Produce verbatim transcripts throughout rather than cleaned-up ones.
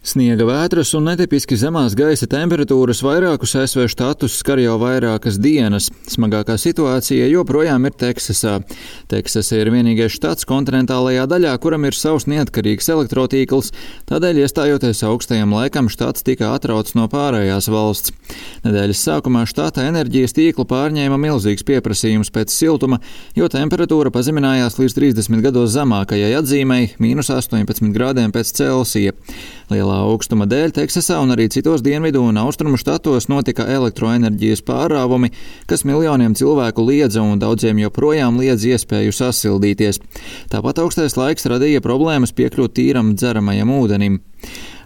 Sniega vētras un netipiski zemās gaisa temperatūras vairākus A S V štatus skar jau vairākas dienas. Smagākā situācija joprojām ir Teksasā. Teksasa ir vienīgais štats kontinentālajā daļā, kuram ir savs neatkarīgs elektrotīkls, tādēļ iestājoties augstajam laikam štats tika atrauts no pārējās valsts. Nedēļas sākumā štata enerģijas tīklu pārņēma milzīgs pieprasījums pēc siltuma, jo temperatūra pazeminājās līdz trīsdesmit gados zemākajai atzīmei – mīnus astoņpadsmit grādiem pēc Celsija. Lielā augstuma dēļ Teksasā un arī citos dienvidu un austrumu štatos notika elektroenerģijas pārāvumi, kas miljoniem cilvēku liedza un daudziem joprojām liedz iespēju sasildīties. Tāpat augstais laiks radīja problēmas piekļūt tīram dzeramajam ūdenim.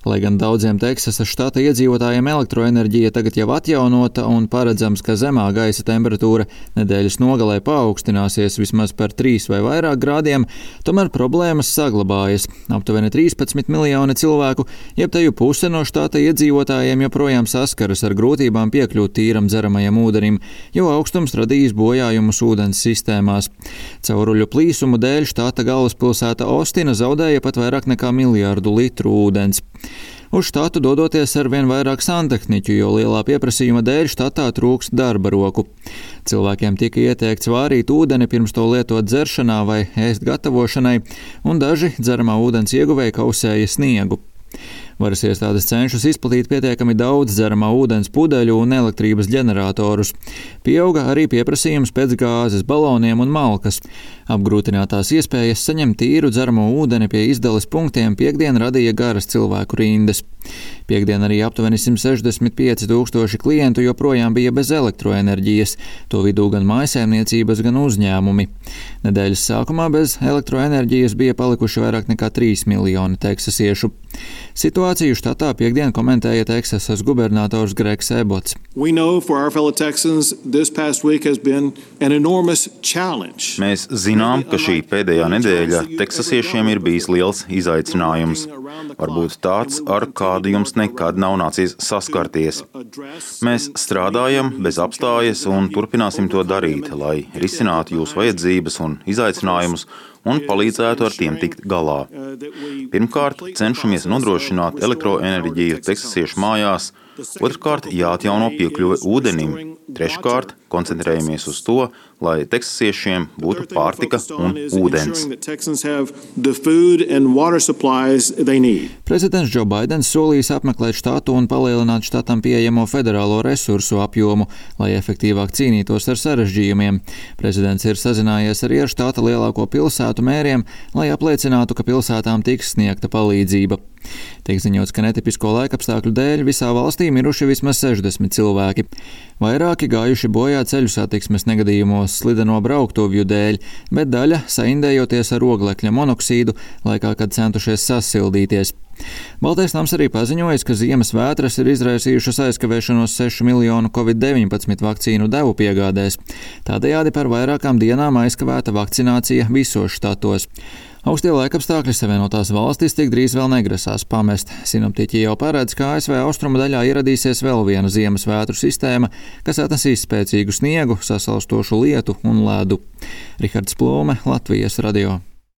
Lai gan daudziem Teksasas štata iedzīvotājiem elektroenerģija tagad jau atjaunota un paredzams, ka zemā gaisa temperatūra nedēļas nogalē paaugstināsies vismaz par trīs vai vairāk grādiem, tomēr problēmas saglabājas. Aptuveni trīspadsmit miljoni cilvēku, jeb teju puse no štata iedzīvotājiem joprojām saskaras ar grūtībām piekļūt tīram dzeramajam ūdenim, jo augstums radījis bojājumus ūdens sistēmās. Cauruļu plīsumu dēļ štata galvaspilsēta Ostina zaudēja pat vairāk nekā miljārdu litru ūdens. Uz štatu dodoties ar vien vairāk santehniķu, jo lielā pieprasījuma dēļ štatā trūkst darba roku. Cilvēkiem tika ieteikts vārīt ūdeni pirms to lietot dzeršanā vai ēst gatavošanai, un daži dzeramā ūdens ieguvēji kausēja sniegu. Varas iestādes cenšas izplatīt pietiekami daudz dzeramā ūdens pudeļu un elektrības ģeneratorus. Pieauga arī pieprasījums pēc gāzes, baloniem un malkas. Apgrūtinātās iespējas saņemt tīru dzeramo ūdeni pie izdales punktiem piektdien radīja garas cilvēku rindas. Piektdien arī aptuveni simt sešdesmit pieci tūkstoši klientu joprojām bija bez elektroenerģijas, to vidū gan mājsaimniecības, gan uzņēmumi. Nedēļas sākumā bez elektroenerģijas bija palikuši vairāk nekā trīs miljoni teksasiešu. Situāciju štatā piektdien komentēja Teksasas gubernators Gregs Ebots. Mēs zinām, ka šī pēdējā nedēļa teksasiešiem ir bijis liels izaicinājums. Varbūt tāds, ar kādu jums nekad nav nācies saskarties. Mēs strādājam bez apstājas un turpināsim to darīt, lai risinātu jūsu vajadzības un izaicinājumus un palīdzētu ar tiem tikt galā. Pirmkārt, cenšamies nodrošināt elektroenerģiju teksasiešu mājās, otrkārt, jāatjauno piekļuve ūdenim, treškārt, koncentrējamies uz to, lai teksasiešiem būtu pārtika un ūdens. Prezidents Džo Baidens solījis apmeklēt štatu un palielināt štatam pieejamo federālo resursu apjomu, lai efektīvāk cīnītos ar sarežģījumiem. Prezidents ir sazinājies arī ar štata lielāko pilsētu mēriem, lai apliecinātu, ka pilsētām tiks sniegta palīdzība. Tiek ziņots, ka netipisko laikapstākļu dēļ visā valstī miruši vismaz sešdesmit cilvēki. Vairāki gājuši bojā ceļu satiksmes negadījumos slideno brauktuvju dēļ, bet daļa saindējoties ar oglekļa monoksīdu laikā, kad centušies sasildīties. Baltais nams arī paziņojis, ka ziemas vētras ir izraisījušas aizkavēšanos sešu miljonu covid deviņpadsmit vakcīnu devu piegādēs. Tādējādi par vairākām dienām aizkavēta vakcinācija visos štatos. Augstie laikapstākļi Savienotās valstis tik drīz vēl negrasās pamest. Sinoptiķi jau paredz, ka A S V austrumu daļā ieradīsies vēl viena ziemas vētru sistēma, kas atnesīs spēcīgu sniegu, sasalstošu lietu un ledu. Rihards Plūme, Latvijas radio.